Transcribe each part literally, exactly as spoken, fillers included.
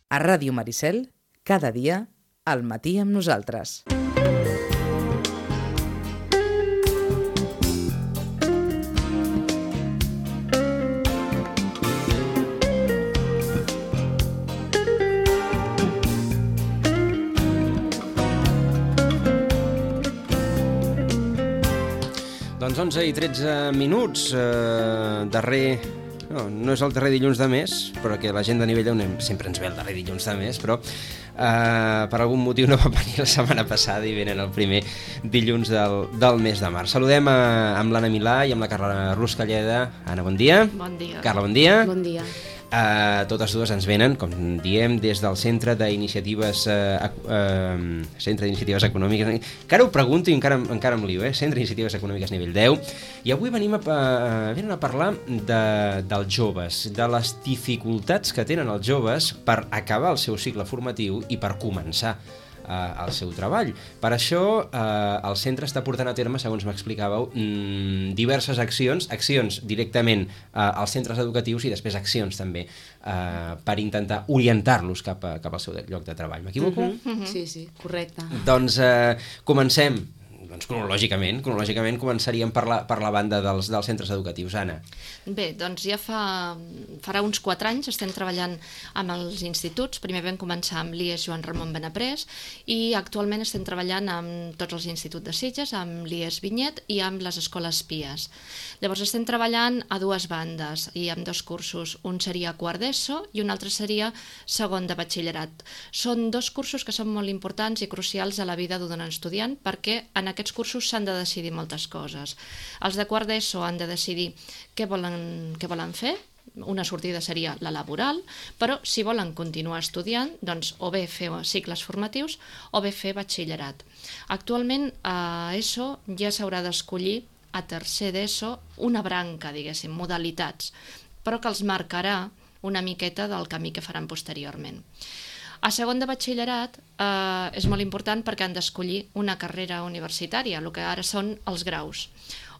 A Ràdio Maricel, cada dia, al matí amb nosaltres. Doncs onze i tretze minuts, eh, darrer... No, no és el darrer dilluns de mes, però que la gent de nivell on sempre ens ve el darrer dilluns de mes, però eh, per algun motiu no va venir la setmana passada i venen el primer dilluns del, del mes de març. Saludem a, amb l'Anna Milà i amb la Carla Ruscalleda. Anna, bon dia. Bon dia. Carla, bon dia. Bon dia. Uh, totes dues ens venen, com diem, des del Centre d'Iniciatives uh, uh, Centre d'Iniciatives Econòmiques. Encara ho pregunto i encara, encara em lio, eh? Centre d'Iniciatives Econòmiques nivell deu. I avui venim a, a, venim a parlar de, dels joves, de les dificultats que tenen els joves per acabar el seu cicle formatiu i per començar al seu treball. Per això eh, el centre està portant a terme, segons m'explicàveu, mmm, diverses accions, accions directament eh, als centres educatius i després accions també eh, per intentar orientar-los cap, a, cap al seu lloc de treball. M'equivoco? Uh-huh, uh-huh. Sí, sí, correcte. Doncs eh, comencem. Doncs cronològicament, cronològicament començaríem per la, per la banda dels, dels centres educatius. Anna. Bé, doncs ja fa, farà uns quatre anys estem treballant amb els instituts. Primer vam començar amb l'I E S Joan Ramon Benaprés i actualment estem treballant amb tots els instituts de Sitges, amb l'I E S Vinyet i amb les escoles P I A S. Llavors estem treballant a dues bandes i amb dos cursos. Un seria quart d'ESO i un altre seria segon de batxillerat. Són dos cursos que són molt importants i crucials a la vida d'un estudiant perquè en aquests cursos s'han de decidir moltes coses. Els de quart d'ESO han de decidir què volen, què volen fer. Una sortida seria la laboral, però si volen continuar estudiant, doncs o bé fer cicles formatius o bé fer batxillerat. Actualment a ESO ja s'haurà d'escollir a tercer d'ESO una branca, diguéssim, modalitats, però que els marcarà una miqueta del camí que faran posteriorment. A segon de batxillerat eh, és molt important perquè han d'escollir una carrera universitària, el que ara són els graus,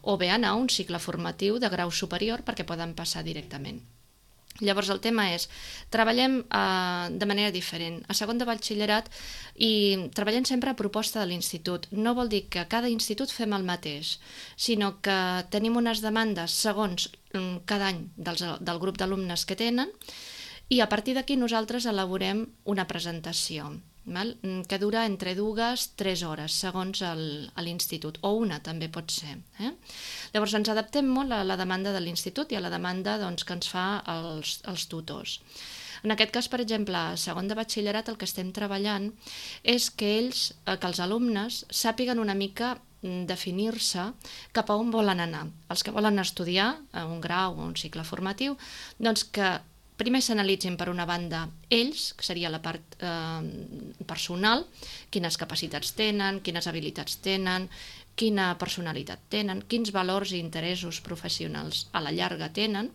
o bé anar a un cicle formatiu de grau superior perquè poden passar directament. Llavors el tema és, treballem eh, de manera diferent. A segon de batxillerat i treballem sempre a proposta de l'institut. No vol dir que a cada institut fem el mateix, sinó que tenim unes demandes segons cada any dels, del grup d'alumnes que tenen i a partir d'aquí nosaltres elaborem una presentació, val? Que dura entre dues i tres hores, segons l'institut, o una també pot ser. Eh? Llavors ens adaptem molt a la demanda de l'institut i a la demanda doncs, que ens fa els, els tutors. En aquest cas, per exemple, a segon de batxillerat el que estem treballant és que ells, que els alumnes sàpiguen una mica definir-se cap a on volen anar. Els que volen estudiar un grau o un cicle formatiu, doncs que primer s'analitzin per una banda ells, que seria la part eh, personal, quines capacitats tenen, quines habilitats tenen, quina personalitat tenen, quins valors i interessos professionals a la llarga tenen,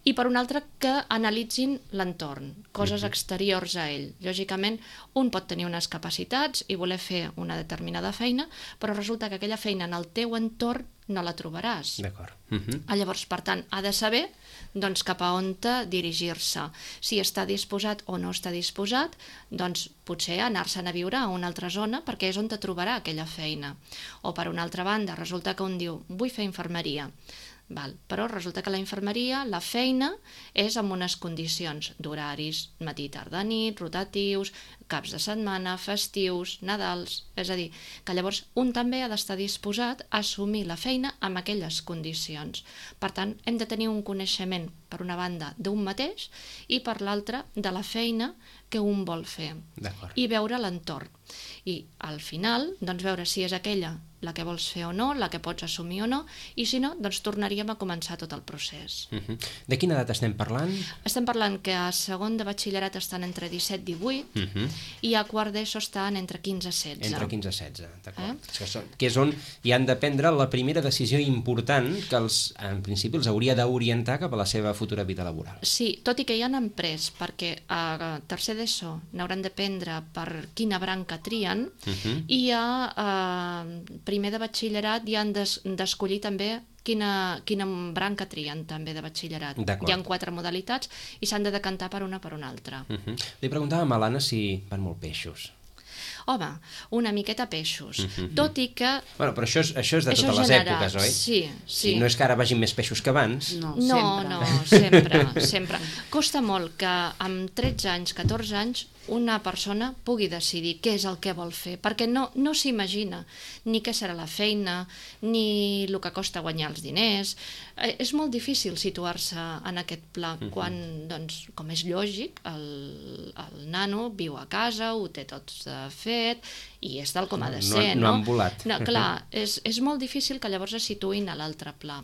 i per una altra que analitzin l'entorn, coses exteriors a ell. Lògicament, un pot tenir unes capacitats i voler fer una determinada feina, però resulta que aquella feina en el teu entorn no la trobaràs. D'acord. Uh-huh. Llavors, per tant, ha de saber doncs, cap a on dirigir-se. Si està disposat o no està disposat, doncs potser anar-se'n a viure a una altra zona perquè és on te trobarà aquella feina. O per una altra banda, resulta que un diu, vull fer infermeria. Val. Però resulta que la infermeria, la feina, és amb unes condicions d'horaris, matí, tarda, nit, rotatius, caps de setmana, festius, Nadals... És a dir, que llavors un també ha d'estar disposat a assumir la feina amb aquelles condicions. Per tant, hem de tenir un coneixement, per una banda, d'un mateix i per l'altra, de la feina que un vol fer. I veure l'entorn. I al final, doncs veure si és aquella la que vols fer o no, la que pots assumir o no, i si no, doncs tornaríem a començar tot el procés. Uh-huh. De quina edat estem parlant? Estem parlant que a segon de batxillerat estan entre disset i divuit uh-huh. i a quart d'ESO estan entre quinze i setze. Entre quinze i setze, d'acord. Eh? Que, són, que és on hi han de prendre la primera decisió important que els, en principi els hauria d'orientar cap a la seva futura vida laboral. Sí, tot i que ja n'han pres, perquè a tercer d'ESO n'hauran de prendre per quina branca trien, uh-huh. i a eh, primer de batxillerat ja han d'escollir també quina, quina branca trien també de batxillerat. Hi ha quatre modalitats i s'han de decantar per una per una altra. Uh-huh. Li preguntàvem a l'Anna si van molt peixos. Home, una miqueta peixos, uh-huh. tot i que... Bueno, però això és, això és de això totes general, les èpoques, oi? Sí, sí. sí. No és que ara vagin més peixos que abans. No, no, sempre. No, sempre, sempre. Costa molt que amb tretze anys, catorze anys, una persona pugui decidir què és el que vol fer, perquè no, no s'imagina ni què serà la feina, ni el que costa guanyar els diners. Eh, és molt difícil situar-se en aquest pla, uh-huh. quan, doncs, com és lògic, el, el nano viu a casa, ho té tot fet, i és tal com ha de ser, no? No, no han volat. No, clar, és, és molt difícil que llavors es situïn a l'altre pla.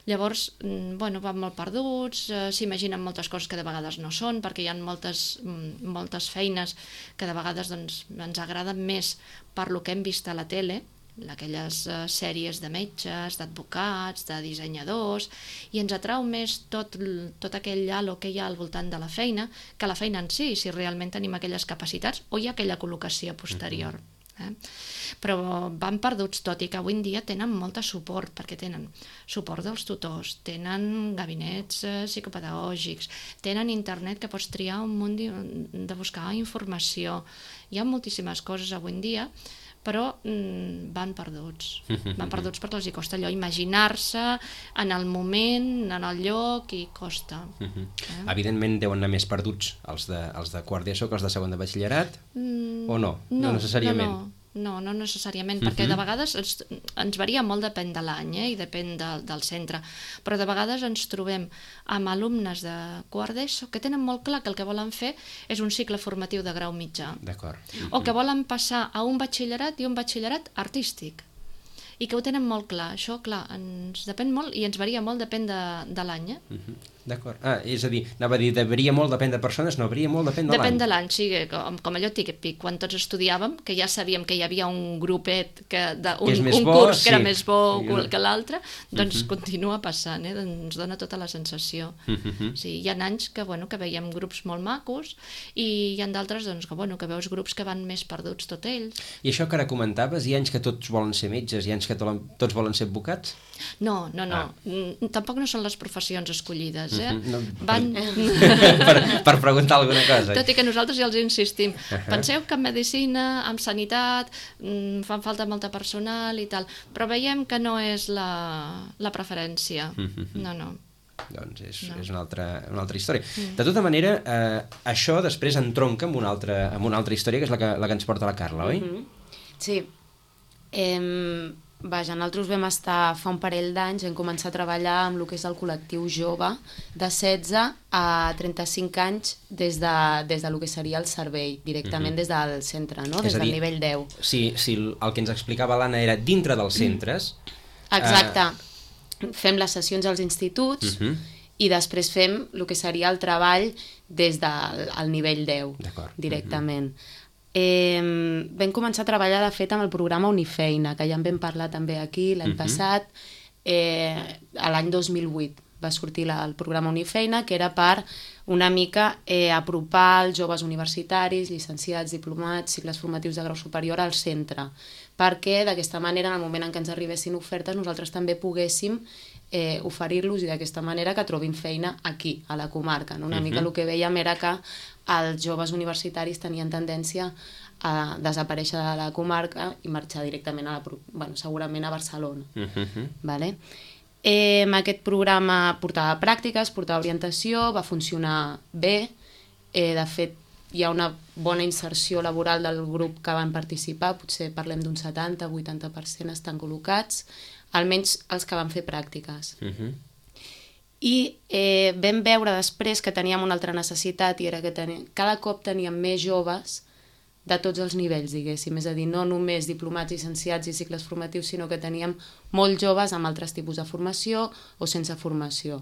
Llavors, bueno, van molt perduts, eh, s'imaginen moltes coses que de vegades no són, perquè hi ha moltes, moltes feines que de vegades doncs, ens agraden més per lo que hem vist a la tele, aquelles eh, sèries de metges, d'advocats, de dissenyadors, i ens atrau més tot, tot aquell halo que hi ha al voltant de la feina que la feina en si, si realment tenim aquelles capacitats o hi ha aquella col·locació posterior. Uh-huh. Eh? Però van perduts, tot i que avui en dia tenen molt de suport, perquè tenen suport dels tutors, tenen gabinets eh, psicopedagògics, tenen internet que pots triar un munt de, de buscar informació. Hi ha moltíssimes coses avui en dia, però mm, van perduts. Van perduts perquè els hi costa allò imaginar-se en el moment, en el lloc, i costa. Uh-huh. eh? Evidentment deuen anar més perduts els de, els de quart d'ESO que els de segon de batxillerat, mm, o no? No, no necessàriament. No, no. No, no necessàriament, perquè uh-huh. de vegades ens, ens varia molt, depèn de l'any, eh, i depèn de, del centre, però de vegades ens trobem amb alumnes de quart d'ESO que tenen molt clar que el que volen fer és un cicle formatiu de grau mitjà. D'acord. Uh-huh. O que volen passar a un batxillerat i un batxillerat artístic, i que ho tenen molt clar. Això, clar, ens depèn molt i ens varia molt, depèn de, de l'any. Eh? Uh-huh. D'acord. Ah, és a dir, anava a dir, varia molt, depèn de persones, no, varia molt, depèn de l'any. Depèn de l'any, sí, com, com allò típic, quan tots estudiàvem, que ja sabíem que hi havia un grupet, que de, un, que un bo, curs que sí. era més bo sí. que l'altre, doncs uh-huh. continua passant, eh? Ens dona tota la sensació. Uh-huh. Sí, hi ha anys que, bueno, que veiem grups molt macos, i hi ha d'altres doncs, que, bueno, que veus grups que van més perduts tot ells. I això que ara comentaves, hi ha anys que tots volen ser metges, hi ha anys que tots volen ser advocats? No, no, no. Ah. Tampoc no són les professions escollides, eh? Uh-huh. No, Van... per, per preguntar alguna cosa. Tot i que nosaltres ja els insistim. Uh-huh. Penseu que en medicina, en sanitat, mmm, fan falta molta personal i tal, però veiem que no és la, la preferència. Uh-huh. No, no. Doncs és, no. és una, altra, una altra història. Mm. De tota manera, eh, això després entronca amb una altra, amb una altra història, que és la que, la que ens porta la Carla, oi? Mm-hmm. Sí. Eh, vaja, nosaltres vam estar fa un parell d'anys, hem començat a treballar amb el que és el col·lectiu jove de setze a trenta-cinc anys des de, des de lo que seria el servei, directament mm-hmm. des del centre, no? Des dir, del nivell deu. Sí, sí, el que ens explicava l'Anna era dintre dels centres. Exacte. Eh... Fem les sessions als instituts uh-huh. i després fem el que seria el treball des del el nivell deu, directament. Uh-huh. Eh, vam començar a treballar, de fet, amb el programa Unifeina, que ja en vam parlar també aquí l'any uh-huh. passat. Eh, l'any dos mil vuit va sortir la, el programa Unifeina, que era per una mica eh, apropar els joves universitaris, llicenciats, diplomats, cicles formatius de grau superior al centre, perquè d'aquesta manera, en el moment en què ens arribessin ofertes, nosaltres també poguéssim eh, oferir-los i d'aquesta manera que trobin feina aquí, a la comarca. No? Una uh-huh. mica el que vèiem era que els joves universitaris tenien tendència a desaparèixer de la comarca i marxar directament, a la, bueno, segurament a Barcelona. Uh-huh. Vale? Eh, aquest programa portava pràctiques, portava orientació, va funcionar bé, eh, de fet hi ha una bona inserció laboral del grup que van participar, potser parlem d'un setanta a vuitanta per cent estan col·locats, almenys els que van fer pràctiques. Uh-huh. I eh, vam veure després que teníem una altra necessitat, i era que teníem, cada cop teníem més joves de tots els nivells, diguéssim, és a dir, no només diplomats, llicenciats i cicles formatius, sinó que teníem molts joves amb altres tipus de formació o sense formació.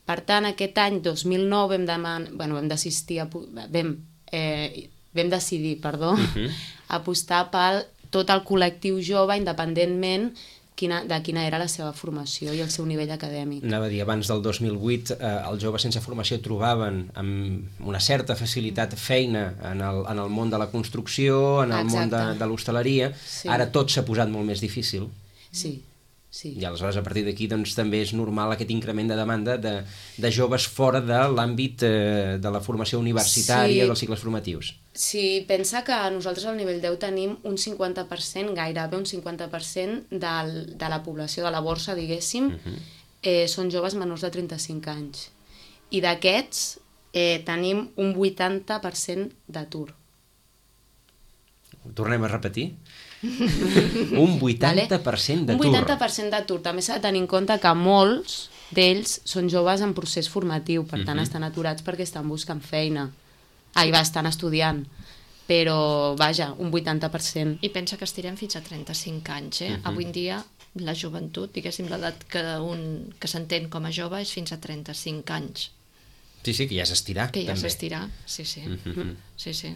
Per tant, aquest any dos mil nou vam, deman... bueno, vam d'assistir a... vam Eh, vam decidir, perdó, uh-huh. apostar pel tot el col·lectiu jove, independentment quina, de quina era la seva formació i el seu nivell acadèmic. Anava a dir, abans del dos mil vuit eh, els joves sense formació trobaven amb una certa facilitat feina en el, en el món de la construcció, en el Exacte. món de, de l'hostaleria. Sí. Ara tot s'ha posat molt més difícil. Sí. Sí. I aleshores a partir d'aquí doncs, també és normal aquest increment de demanda de, de joves fora de l'àmbit eh, de la formació universitària, sí. dels cicles formatius. Sí, pensa que nosaltres al nivell deu tenim un cinquanta per cent, gairebé un cinquanta per cent del, de la població de la borsa, diguéssim, uh -huh. eh, són joves menors de trenta-cinc anys. I d'aquests eh, tenim un vuitanta per cent d'atur. Ho tornem a repetir? Un vuitanta per cent d'atur. Un vuitanta per cent d'atur. També s'ha de tenir en compte que molts d'ells són joves en procés formatiu, per tant uh -huh. estan aturats perquè estan buscant feina. Ah, i va, estan estudiant. Però, vaja, un vuitanta per cent. I pensa que estirem fins a trenta-cinc anys, eh? Uh -huh. Avui en dia la joventut, diguéssim, l'edat que, un, que s'entén com a jove és fins a trenta-cinc anys. Sí, sí, que ja és estirar. Que ja també. és estirar, sí, sí. Uh -huh. Sí, sí.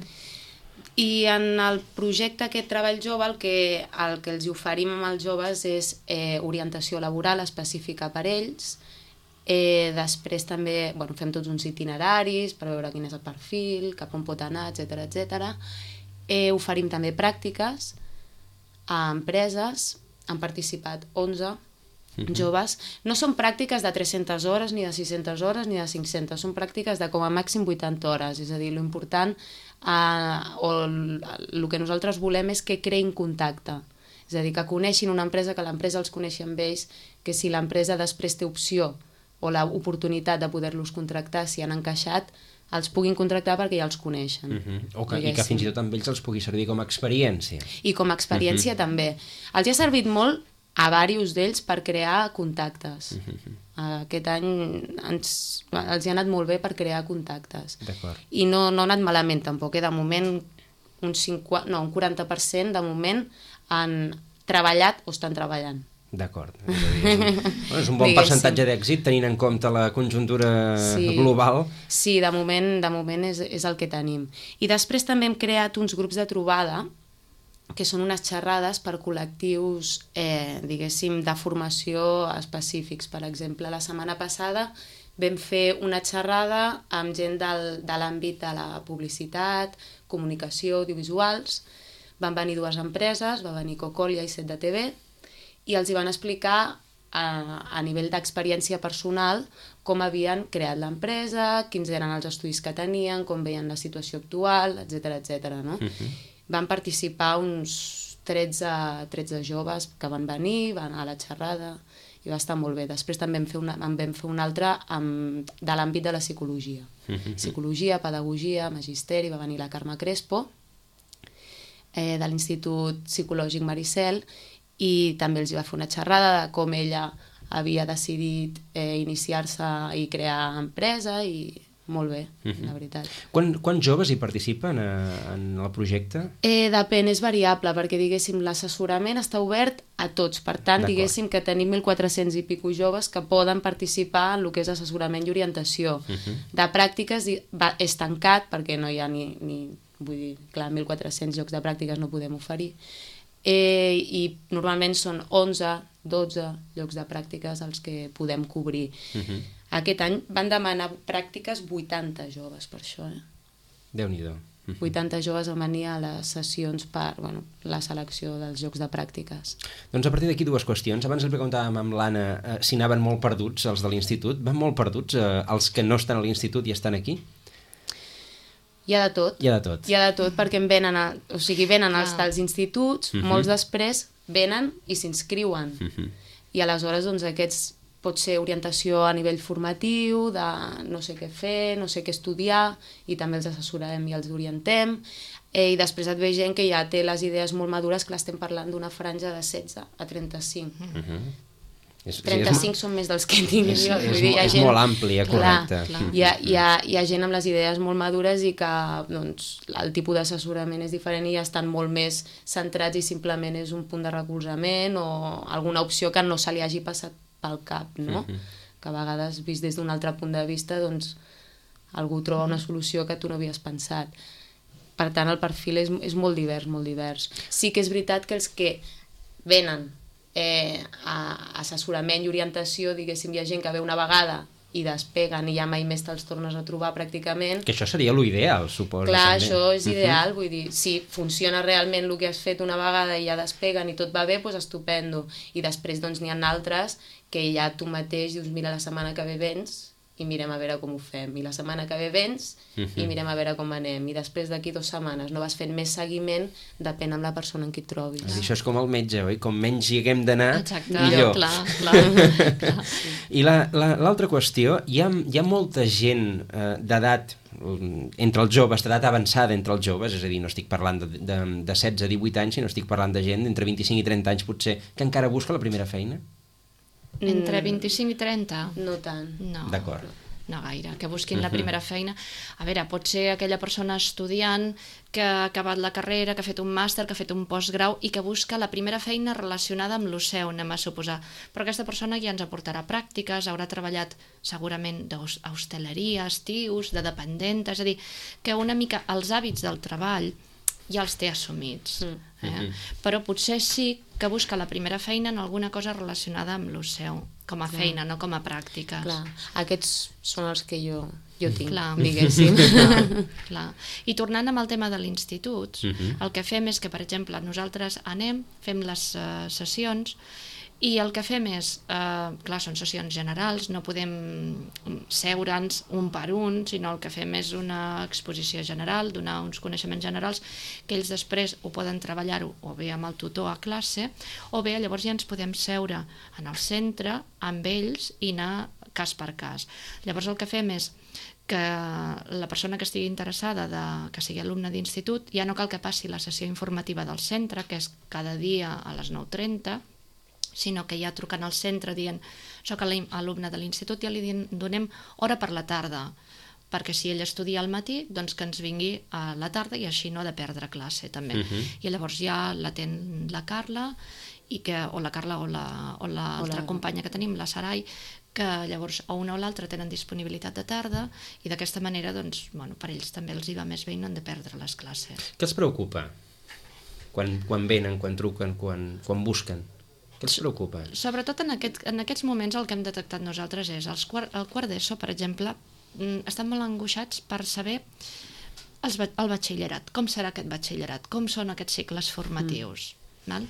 I en el projecte aquest Treball Jove el que, el que els oferim amb els joves és eh, orientació laboral específica per ells. Eh, després també bueno, fem tots uns itineraris per veure quin és el perfil, cap on pot anar, etcètera, etcètera. Eh, oferim també pràctiques a empreses, han participat onze uh-huh. joves. No són pràctiques de tres-centes hores, ni de sis-centes hores, ni de cinc-centes, són pràctiques de com a màxim vuitanta hores, és a dir, l'important Uh, o el que nosaltres volem és que creïn contacte, és a dir, que coneixin una empresa, que l'empresa els coneixi amb ells, que si l'empresa després té opció o l'oportunitat de poder-los contractar, si han encaixat, els puguin contractar perquè ja els coneixen. Uh-huh. o que, I que fins i tot amb ells els pugui servir com a experiència. I com a experiència uh-huh. també. Els ha servit molt a diversos d'ells per crear contactes. Uh-huh. Aquest any ens, els hi ha anat molt bé per crear contactes. I no, no ha anat malament tampoc, eh? De moment un, cinquanta, no, un quaranta per cent de moment han treballat o estan treballant. D'acord. És, bueno, és un bon percentatge d'èxit tenint en compte la conjuntura sí, global. Sí, de moment, de moment és, és el que tenim. I després també hem creat uns grups de trobada que són unes xerrades per col·lectius, eh, diguéssim, de formació específics. Per exemple, la setmana passada vam fer una xerrada amb gent del, de l'àmbit de la publicitat, comunicació, audiovisuals. Van venir dues empreses, va venir Cocolia i Set de T V, i els hi van explicar a, a nivell d'experiència personal com havien creat l'empresa, quins eren els estudis que tenien, com veien la situació actual, etcètera, etcètera, no? Uh-huh. Van participar uns tretze, tretze joves que van venir, van a la xerrada, i va estar molt bé. Després també en vam fer una, en vam fer una altra amb, de l'àmbit de la psicologia. Uh-huh. Psicologia, pedagogia, magisteri, va venir la Carme Crespo, eh, de l'Institut Psicològic Maricel, i també els va fer una xerrada de com ella havia decidit eh, iniciar-se i crear empresa, i molt bé, uh-huh. la veritat. Quan, quants joves hi participen a, en el projecte? Eh, depèn, és variable, perquè diguéssim l'assessorament està obert a tots, per tant diguéssim que tenim mil quatre-cents i pico joves que poden participar en el que és assessorament i orientació. Uh-huh. De pràctiques va, és tancat, perquè no hi ha ni, ni vull dir, clar, mil quatre-cents llocs de pràctiques no podem oferir, eh, i normalment són onze, dotze llocs de pràctiques els que podem cobrir. Uh-huh. Aquest any van demanar pràctiques vuitanta joves per això. Eh? Déu-n'hi-do. Uh-huh. vuitanta joves van venir a les sessions per bueno, la selecció dels llocs de pràctiques. Doncs a partir d'aquí dues qüestions. Abans li preguntàvem amb l'Anna eh, si anaven molt perduts els de l'institut. Van molt perduts eh, els que no estan a l'institut i estan aquí? Hi ha de tot. Hi ha de tot. Hi ha de tot, perquè en venen, a, o sigui, venen els ah. dels instituts, uh-huh. molts després venen i s'inscriuen. Uh-huh. I aleshores doncs, aquests pot ser orientació a nivell formatiu, de no sé què fer, no sé què estudiar, i també els assessorem i els orientem. Eh, I després et ve gent que ja té les idees molt madures, que l'estem parlant d'una franja de setze a trenta-cinc. Uh-huh. És, trenta-cinc és, són més dels que tinc és, jo. És, és, és gent, molt àmplia, correcte. Clar, clar. Hi, ha, hi, ha, hi ha gent amb les idees molt madures i que doncs, el tipus d'assessorament és diferent i ja estan molt més centrats i simplement és un punt de recolzament o alguna opció que no se li hagi passat pel cap, no? Uh-huh. Que a vegades, vist des d'un altre punt de vista, doncs, algú troba una solució que tu no havies pensat. Per tant, el perfil és, és molt divers, molt divers. Sí que és veritat que els que venen eh, assessorament i orientació, diguéssim, hi ha gent que ve una vegada i despeguen i ja mai més te'ls tornes a trobar pràcticament. Que això seria l'ideal, suposo. Clar, també. Això és ideal, uh-huh. vull dir, si funciona realment el que has fet una vegada i ja despeguen i tot va bé, doncs estupendo. I després doncs n'hi ha altres que ja tu mateix dius, mira, la setmana que ve vens i mirem a veure com ho fem. I la setmana que ve vens uh-huh. i mirem a veure com anem. I després d'aquí dues setmanes no vas fent més seguiment, depèn amb la persona en qui et trobis. Ah. Això és com el metge, oi? Com menys hi haguem d'anar, Exacte, millor. clar, clar. clar. I l'altra la, qüestió, hi ha, hi ha molta gent eh, d'edat, entre els joves, d'edat avançada entre els joves, és a dir, no estic parlant de, de, de setze a divuit anys, sinó estic parlant de gent d'entre vint-i-cinc i trenta anys, potser, que encara busca la primera feina? Entre vint-i-cinc i trenta? No tant. No. D'acord. No gaire, que busquin la primera feina. A veure, pot ser aquella persona estudiant que ha acabat la carrera, que ha fet un màster, que ha fet un postgrau i que busca la primera feina relacionada amb lo seu, anem a suposar. Però aquesta persona ja ens aportarà pràctiques, haurà treballat segurament d'hostaleria, estius, de dependenta, és a dir, que una mica els hàbits del treball ja els té assumits. Mm. Eh? Mm-hmm. Però potser sí que busca la primera feina en alguna cosa relacionada amb lo seu, com a feina, Clar. no com a pràctiques. Clar. Aquests són els que jo, jo tinc, Clar. diguéssim. Clar. Clar. I tornant amb el tema de l'institut, Mm-hmm. el que fem és que, per exemple, nosaltres anem, fem les uh, sessions, i el que fem és, eh, clar, són sessions generals, no podem seure'ns un per un, sinó el que fem és una exposició general, donar uns coneixements generals, que ells després ho poden treballar-ho o bé amb el tutor a classe, o bé llavors ja ens podem seure en el centre amb ells i anar cas per cas. Llavors el que fem és que la persona que estigui interessada, de, que sigui alumne d'institut, ja no cal que passi la sessió informativa del centre, que és cada dia a les nou trenta, sinó que ja trucant al centre dient soc alumne de l'institut, ja li donem hora per la tarda, perquè si ell estudia al matí, doncs que ens vingui a la tarda i així no ha de perdre classe també. Uh-huh. I llavors ja l'atén la Carla, i que, o la Carla o l'altra la, o la... companya que tenim, la Sarai, que llavors o una o l'altra tenen disponibilitat de tarda i d'aquesta manera doncs, bueno, per ells també els hi va més bé i no han de perdre les classes. Què els preocupa quan, quan venen, quan truquen, quan, quan busquen? Què els preocupa? Sobretot en, aquest, en aquests moments el que hem detectat nosaltres és els quart, el quart d'ESO, per exemple, estan molt angoixats per saber els, el batxillerat, com serà aquest batxillerat, com són aquests cicles formatius. Mm. Val?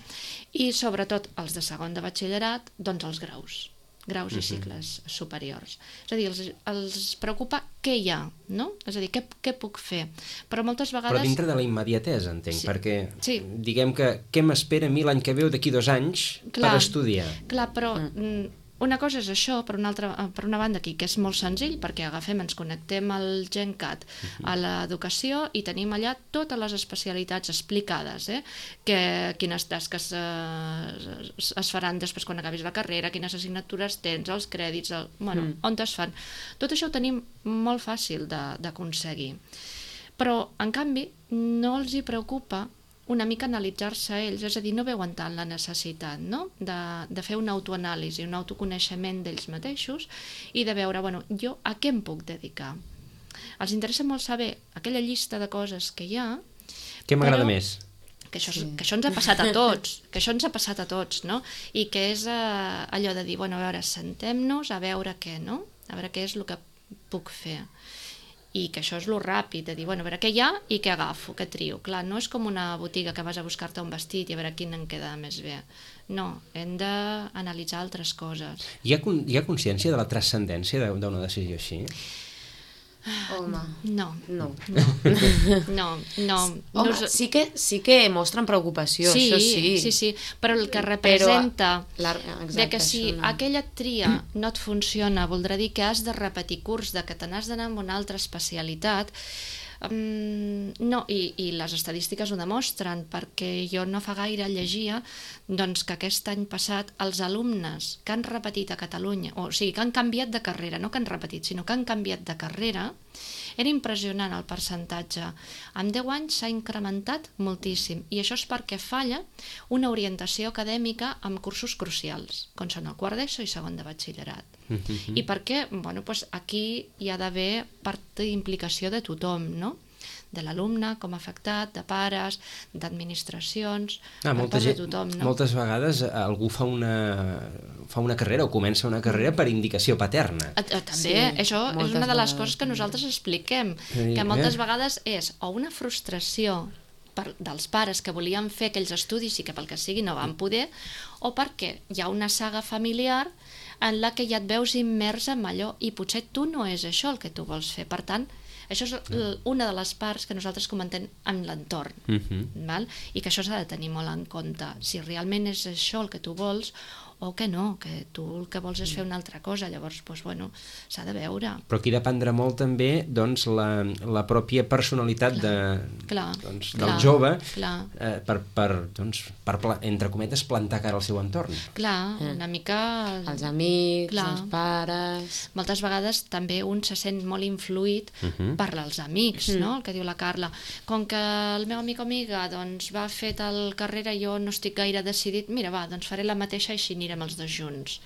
I sobretot els de segon de batxillerat, doncs els graus. graus i cicles uh-huh. superiors. És a dir, els, els preocupa què hi ha, no? És a dir, què, què puc fer? Però moltes vegades... Però dintre de la immediatesa, entenc, sí. perquè sí. diguem que què m'espera a mi l'any que ve o d'aquí dos anys clar, per estudiar? Clar, però... Mm. Una cosa és això, per una, altra, per una banda aquí, que és molt senzill, perquè agafem, ens connectem al GenCat, a l'educació, i tenim allà totes les especialitats explicades, eh? que, quines tasques eh, es faran després quan acabis la carrera, quines assignatures tens, els crèdits, el, bueno, mm. on es fan. Tot això ho tenim molt fàcil d'aconseguir. Però, en canvi, no els hi preocupa una mica analitzar-se a ells, és a dir, no veuen tant la necessitat, no? de, de fer una autoanàlisi, un autoconeixement d'ells mateixos i de veure, bueno, jo a què em puc dedicar? Els interessa molt saber aquella llista de coses que hi ha. Què m'agrada més? Que això, sí. que això ens ha passat a tots, que això ens ha passat a tots, no? I que és eh, allò de dir, bueno, a veure, sentem-nos a veure què, no? A veure què és el que puc fer. I que això és lo ràpid, de dir, bueno, a veure què hi ha i què agafo, què trio. Clar, no és com una botiga que vas a buscar-te un vestit i a veure quin em queda més bé. No, hem d'analitzar altres coses. Hi ha, hi ha consciència de la transcendència d'una decisió així? Home, no. No. No, no. no. Home, no... sí, que, sí que mostren preocupació, sí, això sí. Sí, sí, però el que representa però, la, exacte, de que si no. aquella tria no et funciona, voldrà dir que has de repetir curs, de que te n'has d'anar amb una altra especialitat. Um, no, i, i les estadístiques ho demostren, perquè jo no fa gaire llegia doncs, que aquest any passat els alumnes que han repetit a Catalunya, o sigui, que han canviat de carrera, no que han repetit, sinó que han canviat de carrera, era impressionant el percentatge. En deu anys s'ha incrementat moltíssim, i això és perquè falla una orientació acadèmica amb cursos crucials, com són el quart d'ESO i segon de batxillerat. I perquè, bueno, doncs aquí hi ha d'haver part d'implicació de tothom, no? de l'alumne com a afectat, de pares, d'administracions, ah, per molta part de gent, tothom. No? Moltes vegades algú fa una, fa una carrera o comença una carrera per indicació paterna. A, a, també, Sí, això és moltes una de les vegades, coses que nosaltres expliquem, Sí, que moltes eh? vegades és o una frustració per, dels pares que volien fer aquells estudis i que pel que sigui no van poder, o perquè hi ha una saga familiar en la que ja et veus immers en allò i potser tu no és això el que tu vols fer. Per tant, això és una de les parts que nosaltres comentem en l'entorn, Uh-huh. val? I que això s'ha de tenir molt en compte. Si realment és això el que tu vols o que no, que tu el que vols és fer una altra cosa, llavors, doncs, bueno, s'ha de veure. Però aquí dependrà molt també doncs, la, la pròpia personalitat Clar, de, clar, doncs, clar, del jove clar. eh, per, per, doncs, per pla, entre cometes, plantar cara al seu entorn. Clar, una mica... Els amics, Clar. els pares... Moltes vegades també un se sent molt influït Uh-huh. per els amics, Mm. no? El que diu la Carla. Com que el meu amic o amiga doncs, va fer tal carrera, jo no estic gaire decidit, mira, va, doncs faré la mateixa i així anirem els dos junts.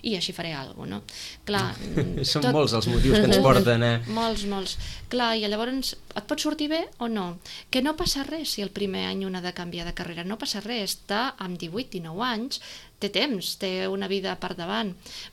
I així faré alguna cosa, no? Clar, Són molts els motius que ens porten a... Molts, molts. Clar, i llavors et pot sortir bé o no? Que no passa res si el primer any un ha de canviar de carrera, no passa res, està amb divuit dinou anys, té temps, té una vida per davant,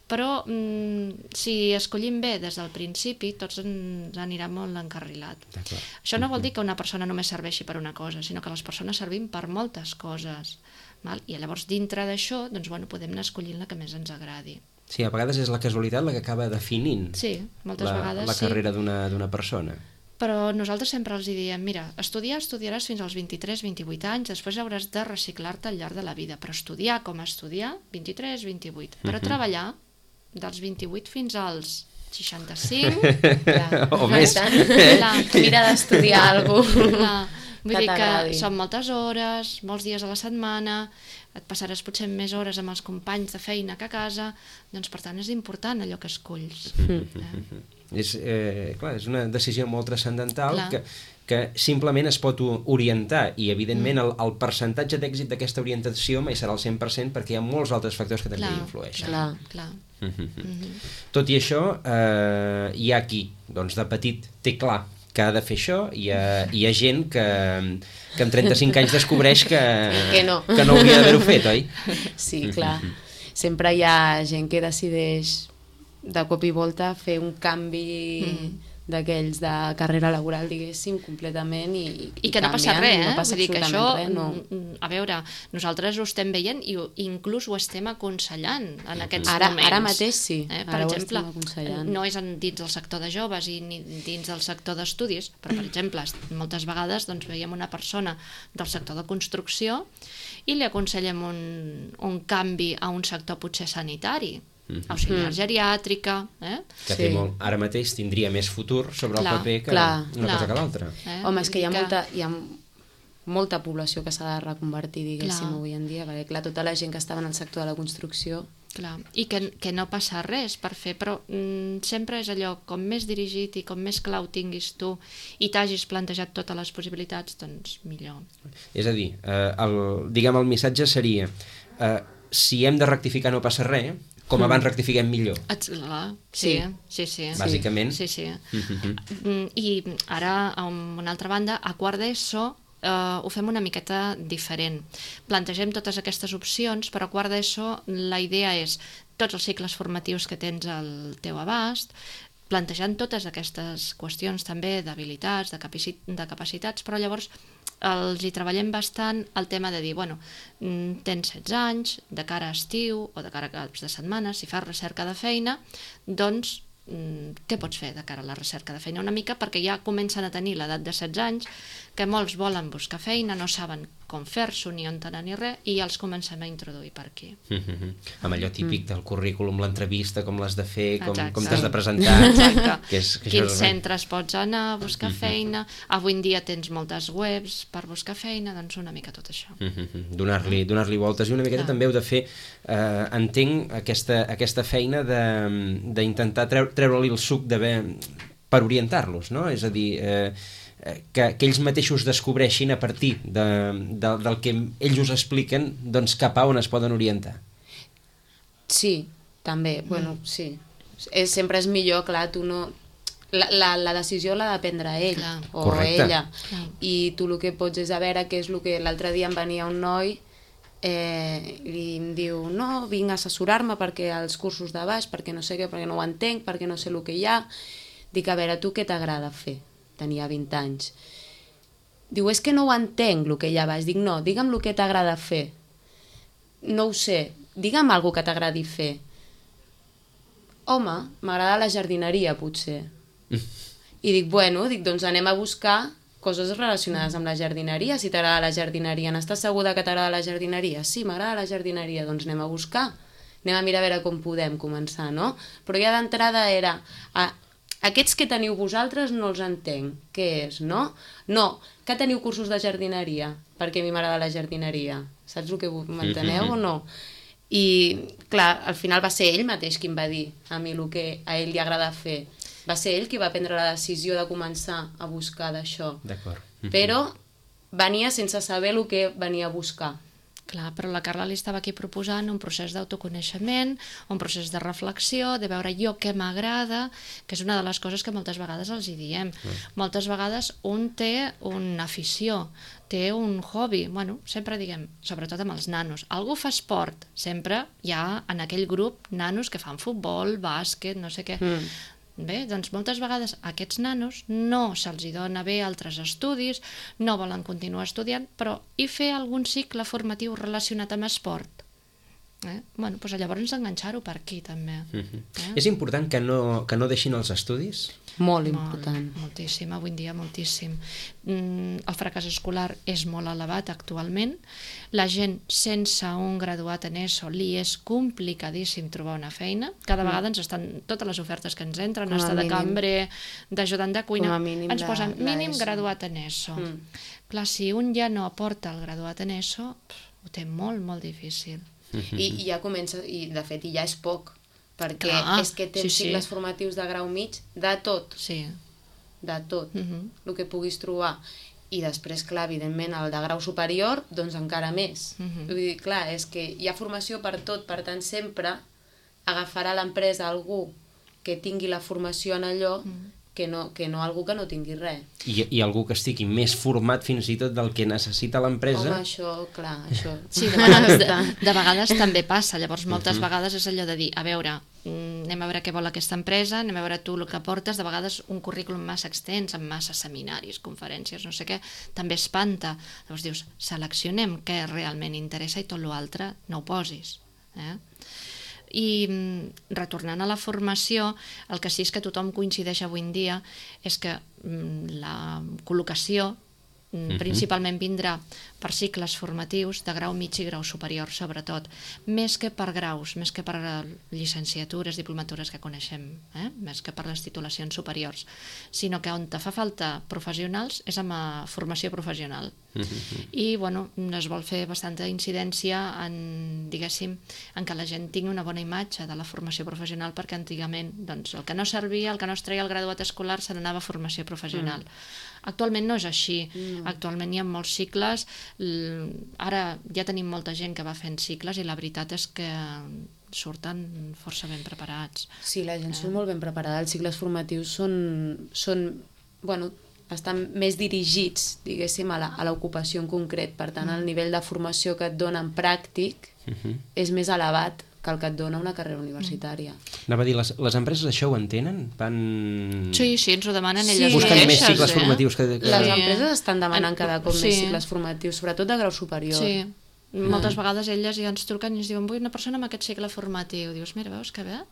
però mm, si escollim bé des del principi, tots ens anirà molt encarrilat. D'acord. Això no vol dir que una persona només serveixi per una cosa, sinó que les persones servim per moltes coses. Val? I llavors dintre d'això doncs, bueno, podem anar escollint la que més ens agradi. Sí, a vegades és la casualitat la que acaba definint Sí, moltes la, vegades la sí. carrera d'una d'una persona. Però nosaltres sempre els hi diem, mira, estudiar estudiaràs fins als vint-i-tres vint-i-vuit anys, després hauràs de reciclar-te al llarg de la vida, però estudiar com a estudiar, vint-i-tres vint-i-vuit. Però Mhm. treballar dels vint-i-vuit fins als seixanta-cinc, Clar. O més. clar, Mira d'estudiar alguna cosa. clar, vull Que dir que t'agradi. són moltes hores, molts dies a la setmana, et passaràs potser més hores amb els companys de feina que a casa, doncs per tant és important allò que escolls. Eh? És, eh, clar, és una decisió molt transcendental Clar. que, que simplement es pot o- orientar i evidentment el, el percentatge d'èxit d'aquesta orientació mai serà el cent per cent perquè hi ha molts altres factors que també Clar, hi influeixen. clar, clar. Mhm. Mhm. Tot i això, eh, hi ha qui doncs, de petit té clar que ha de fer això, hi ha, hi ha gent que, que amb trenta-cinc anys descobreix que, Que no. que no hauria d'haver-ho fet, oi? Sí, clar. Sempre hi ha gent que decideix de cop i volta fer un canvi Mm. d'aquells de carrera laboral, diguéssim, completament i, I que no passa canvien, res, eh? no passa Vull dir que això, absolutament res, no. mm, a veure, nosaltres ho estem veient i ho- inclús ho estem aconsellant en aquests Ara- moments. ara mateix sí, Eh? Per ara ho exemple, estem aconsellant. no és en, dins del sector de joves i ni dins del sector d'estudis, però per exemple, moltes vegades doncs, veiem una persona del sector de construcció i li aconsellem un, un canvi a un sector potser sanitari, auxiliar geriàtrica, eh? Que Sí. té molt, ara mateix tindria més futur sobre Clar, el paper que clar, una clar. cosa que l'altra. eh? Home, és que hi ha Vull dir molta, hi ha molta població que s'ha de reconvertir, diguéssim, Clar. avui en dia, perquè clar, tota la gent que estava en el sector de la construcció... Clar, i que, que no passa res per fer, però mm, sempre és allò, com més dirigit i com més clar ho tinguis tu i t'hagis plantejat totes les possibilitats, doncs millor. És a dir, eh, el, diguem el missatge seria eh, si hem de rectificar no passa res, com abans rectifiquem millor. Ets, clar, sí, sí, sí. Bàsicament. Sí, sí. Mhm. Mm, I ara, a una altra banda, a quart d'ESO eh, ho fem una miqueta diferent. Plantegem totes aquestes opcions, però a quart d'ESO la idea és tots els cicles formatius que tens al teu abast, plantejant totes aquestes qüestions també d'habilitats, de, capaci de capacitats, però llavors els hi treballem bastant el tema de dir, bueno, mm, tens setze anys, de cara a estiu o de cara a caps de setmana, si fas recerca de feina, doncs mm, què pots fer de cara a la recerca de feina? Una mica perquè ja comencen a tenir l'edat de setze anys, que molts volen buscar feina, no saben com fer-s'ho ni on anar ni res, i ja els comencem a introduir per aquí. Mhm. Amb allò típic del currículum, l'entrevista, com l'has de fer, com, Exacte. com t'has de presentar. Exacte. Que és, que Quins això és- centres pots anar a buscar feina? Avui en dia tens moltes webs per buscar feina, doncs una mica tot això. Mhm. Donar-li donar-li voltes i una miqueta Clar. també heu de fer, eh, entenc aquesta, aquesta feina de- d'intentar treu, treure-li el suc de bé per orientar-los, no? És a dir, eh, que, que ells mateixos descobreixin a partir de, de, del que ells us expliquen doncs cap a on es poden orientar. Sí, també, bueno, sí. És, sempre és millor, clar, tu no... la, la, la decisió l'ha de prendre ell, Clar. o Correcte. ella. Clar. I tu el que pots és a veure què és el que l'altre dia em venia un noi eh, i em diu, no, vinc a assessorar-me perquè els cursos de baix, perquè no sé què, perquè no ho entenc, perquè no sé el que hi ha. Dic, a veure, tu què t'agrada fer? Tenia vint anys. Diu, és que no ho entenc, el que hi ha a baix. Dic, no, digue'm el que t'agrada fer. No ho sé, digue'm alguna que t'agradi fer. Home, m'agrada la jardineria, potser. I dic, bueno, dic, doncs anem a buscar coses relacionades amb la jardineria. Si t'agrada la jardineria, n'estàs segura que t'agrada la jardineria? Sí, m'agrada la jardineria, doncs anem a buscar. Anem a mirar a veure com podem començar, no? Però ja d'entrada era, a, aquests que teniu vosaltres no els entenc. Què és, no? No, que teniu cursos de jardineria, perquè a mi m'agrada la jardineria. Saps el que m'enteneu o no? I, clar, al final va ser ell mateix qui em va dir a mi el que a ell li agrada fer. Va ser ell qui va prendre la decisió de començar a buscar d'això. D'acord. Però venia sense saber el que venia a buscar. Clar, però la Carla li estava aquí proposant un procés d'autoconeixement, un procés de reflexió, de veure jo què m'agrada, que és una de les coses que moltes vegades els hi diem. Mm. Moltes vegades un té una afició, té un hobby, bueno, sempre diguem, sobretot amb els nanos, algú fa esport, sempre hi ha en aquell grup nanos que fan futbol, bàsquet, no sé què. Mm. Bé, doncs moltes vegades aquests nanos no se'ls hi dona bé altres estudis, no volen continuar estudiant, però i fer algun cicle formatiu relacionat amb esport? Eh? Bueno, doncs llavors enganxar-ho per aquí també. Mm-hmm. Eh? És important que no, que no deixin els estudis? Molt important. Molt, moltíssim, avui en dia moltíssim. Mm, el fracàs escolar és molt elevat actualment. La gent sense un graduat en ESO li és complicadíssim trobar una feina. Cada mm. vegada ens estan, totes les ofertes que ens entren, estar de cambrer, d'ajudant de cuina, ens posen mínim graduat en ESO. Mm. Clar, si un ja no aporta el graduat en ESO, pff, ho té molt, molt difícil. Mm-hmm. I, I ja comença, i de fet ja és poc, perquè Clar, és que tens sí, cicles sí. formatius de grau mig de tot, Sí. de tot, Mhm. el que puguis trobar. I després, clar, evidentment, el de grau superior, doncs encara més. Mhm. Vull dir, clar, és que hi ha formació per tot, per tant, sempre agafarà l'empresa algú que tingui la formació en allò Mhm. que no, que no algú que no tingui res. I, I algú que estigui més format fins i tot del que necessita l'empresa? Home, això, clar, això... Sí, de vegades, de, de vegades també passa, llavors moltes uh-huh. vegades és allò de dir, a veure, anem a veure què vol aquesta empresa, anem a veure tu el que portes, de vegades un currículum massa extens, amb massa seminaris, conferències, no sé què, també espanta. Llavors dius, seleccionem què realment interessa i tot l'altre no ho posis. Eh? I retornant a la formació, el que sí és que tothom coincideix avui en dia és que la col·locació uh-huh. principalment vindrà per cicles formatius de grau mig i grau superior, sobretot, més que per graus, més que per llicenciatures, diplomatures que coneixem, eh? Més que per les titulacions superiors, sinó que on te fa falta professionals és amb la formació professional. Uh-huh. I, bueno, es vol fer bastanta incidència en, diguéssim, en que la gent tingui una bona imatge de la formació professional, perquè antigament, doncs, el que no servia, el que no es treia el graduat escolar, se n'anava a formació professional. Mm. Actualment no és així. Mm. Actualment hi ha molts cicles. Ara ja tenim molta gent que va fent cicles i la veritat és que surten força ben preparats. Sí, la gent eh? surt molt ben preparada. Els cicles formatius són, són bueno, estan més dirigits, diguéssim, a l'ocupació en concret. Per tant, el nivell de formació que et donen pràctic uh-huh. és més elevat que el que et dona una carrera universitària. Anava a dir, les, les empreses això ho entenen? Van... Sí, sí, ens ho demanen sí, elles buscant mateixes, més cicles eh? formatius. Que, que... Les empreses estan demanant cada cop sí. més cicles formatius, sobretot de grau superior. Sí, moltes ah. vegades elles ja ens truquen i ens diuen, vull una persona amb aquest cicle formatiu. Dius, mira, veus que bé?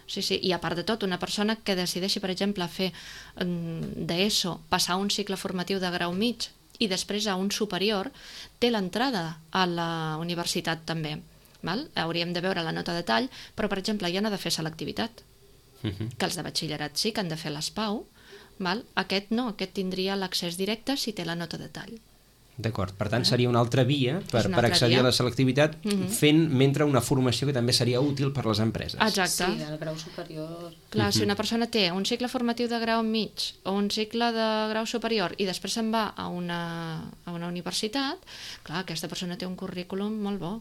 Sí, sí, i a part de tot, una persona que decideixi, per exemple, fer d'ESO, passar un cicle formatiu de grau mig i després a un superior, té l'entrada a la universitat també. Val? Hauríem de veure la nota de tall, però, per exemple, ja no ha de fer selectivitat, uh-huh. que els de batxillerat sí que han de fer l'ESPAU, val? Aquest no, aquest tindria l'accés directe si té la nota de tall. D'acord, per tant seria una altra via per, una per altra accedir via. a la selectivitat uh-huh. fent mentre una formació que també seria útil per les empreses. Exacte. Sí, del grau superior. Clar, uh-huh. si una persona té un cicle formatiu de grau mig o un cicle de grau superior i després se'n va a una, a una universitat, clar, aquesta persona té un currículum molt bo.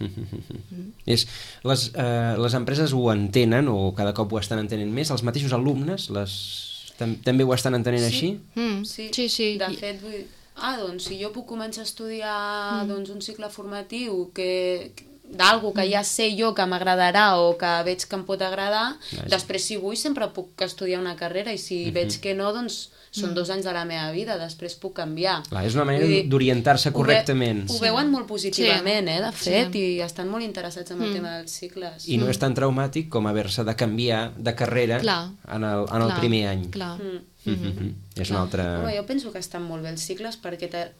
Mm. És, les, eh, les empreses ho entenen o cada cop ho estan entenent més, els mateixos alumnes, les També ho estan entenent així? Mm, Sí, sí, sí. de fet, vull dir, ah, doncs, si jo puc començar a estudiar doncs, un cicle formatiu que, d'algú que ja sé jo que m'agradarà o que veig que em pot agradar, Vaja. després si vull sempre puc estudiar una carrera i si Mhm. veig que no, doncs són dos anys de la meva vida, després puc canviar. Clar, és una manera Vull dir, d'orientar-se ho ve- correctament. Ho veuen molt positivament, eh, de fet, Sí. i estan molt interessats en el Mm. tema dels cicles. I no és tan traumàtic com haver-se de canviar de carrera Clar. en el, en el Clar, primer any. Clar. Mm. Mhm. És una altra... Home, jo penso que estan molt bé els cicles perquè te...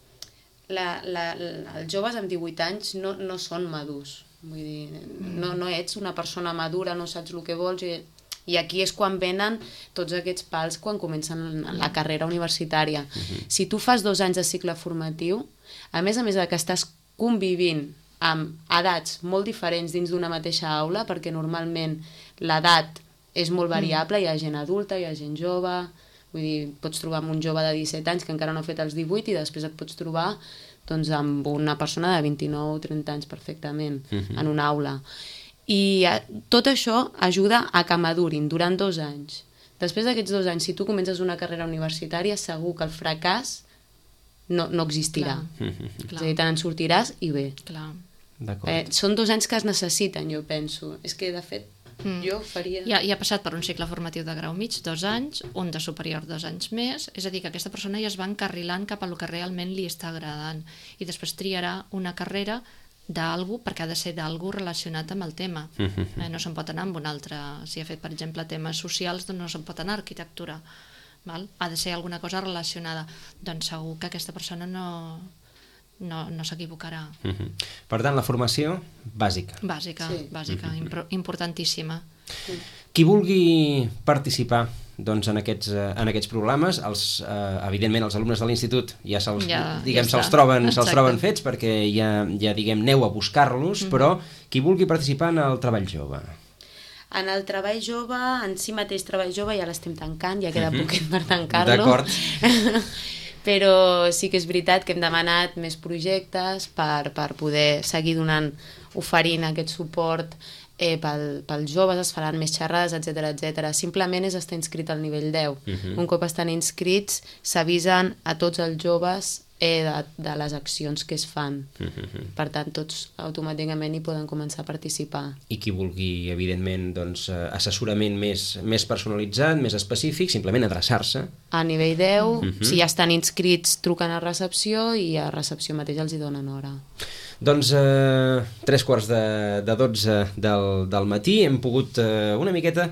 la, la, la, els joves amb divuit anys no, no són madurs. Vull dir, no, no ets una persona madura, no saps el que vols i, i aquí és quan venen tots aquests pals quan comencen la carrera universitària. Mhm. Si tu fas dos anys de cicle formatiu, a més a més de que estàs convivint amb edats molt diferents dins d'una mateixa aula, perquè normalment l'edat és molt variable, hi ha gent adulta, hi ha gent jove, vull dir, pots trobar amb un jove de disset anys que encara no ha fet els divuit i després et pots trobar doncs, amb una persona de vint-i-nou o trenta anys perfectament Mhm. en una aula. I eh, tot això ajuda a que madurin durant dos anys. Després d'aquests dos anys, si tu comences una carrera universitària, segur que el fracàs no, no existirà. Clar. Mhm. És a Clar, dir, te n'en sortiràs i bé. clar. D'acord. Eh, són dos anys que es necessiten, jo penso. És que, de fet, Mm. jo faria... Ja, ja ha passat per un cicle formatiu de grau mig, dos anys, un de superior, dos anys més, és a dir, que aquesta persona ja es va encarrilant cap a lo que realment li està agradant i després triarà una carrera d'algú, perquè ha de ser d'algú relacionat amb el tema. Mhm. Eh, no se'n pot anar amb un altre, si ha fet, per exemple, temes socials, doncs no se'n pot anar a arquitectura. Val? Ha de ser alguna cosa relacionada. Doncs segur que aquesta persona no, no, no s'equivocarà. Mhm. Per tant, la formació bàsica. Bàsica, Sí. bàsica, impro- importantíssima. Qui vulgui participar doncs, en, aquests, eh, en aquests programes, els, eh, evidentment els alumnes de l'institut ja se'ls Ja- diguem, ja se'ls està. troben, se'ls Exacte. troben fets perquè ja, ja diguem, aneu a buscar-los, però qui vulgui participar en el treball jove. En el treball jove, en si mateix treball jove ja l'estem tancant, ja queda Mhm. poquet per tancar-lo. D'acord. Però sí que és veritat que hem demanat més projectes per, per poder seguir donant, oferint aquest suport eh, pel, pels joves, es faran més xerrades, etcètera etcètera. Simplement és estar inscrit al nivell deu. Mhm. Un cop estan inscrits, s'avisen a tots els joves eh, de, de les accions que es fan. Mhm. Per tant, tots automàticament hi poden començar a participar. I qui vulgui, evidentment, doncs, eh, assessorament més, més personalitzat, més específic, simplement adreçar-se. A nivell deu, Mhm. si ja estan inscrits, truquen a recepció i a recepció mateix els hi donen hora. Doncs eh, tres quarts de, de dotze del, del matí hem pogut eh, una miqueta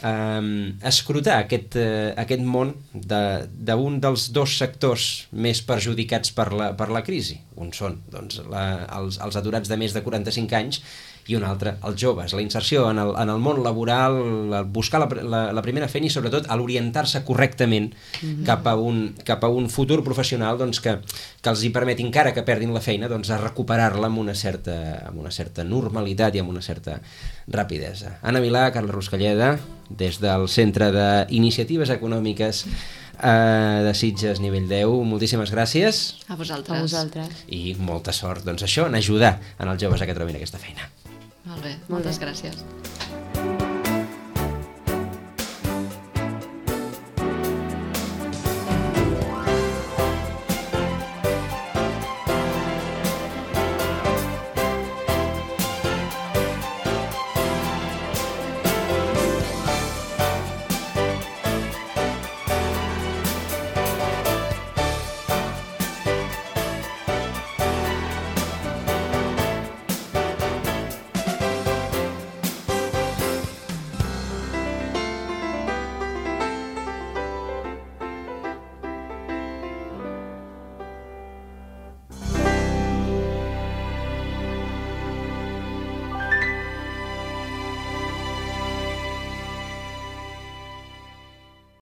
eh, escrutar aquest, eh, aquest món de- d'un de, dels dos sectors més perjudicats per la, per la crisi. Un són doncs, la, els, els aturats de més de quaranta-cinc anys i un altre, els joves, la inserció en el, en el món laboral, el buscar la, la, la primera feina i sobretot a l'orientar-se correctament mm-hmm. cap, a un, cap a un futur professional doncs, que, que els hi permeti, encara que perdin la feina, doncs, a recuperar-la amb, una certa, amb una certa normalitat i amb una certa rapidesa. Anna Milà, Carla Ruscalleda, des del Centre d'Iniciatives Econòmiques eh, de Sitges nivell deu, moltíssimes gràcies A vosaltres. A vosaltres. i molta sort, doncs això, en ajudar en els joves a que trobin aquesta feina. Molt bé, Molt moltes bé. gràcies.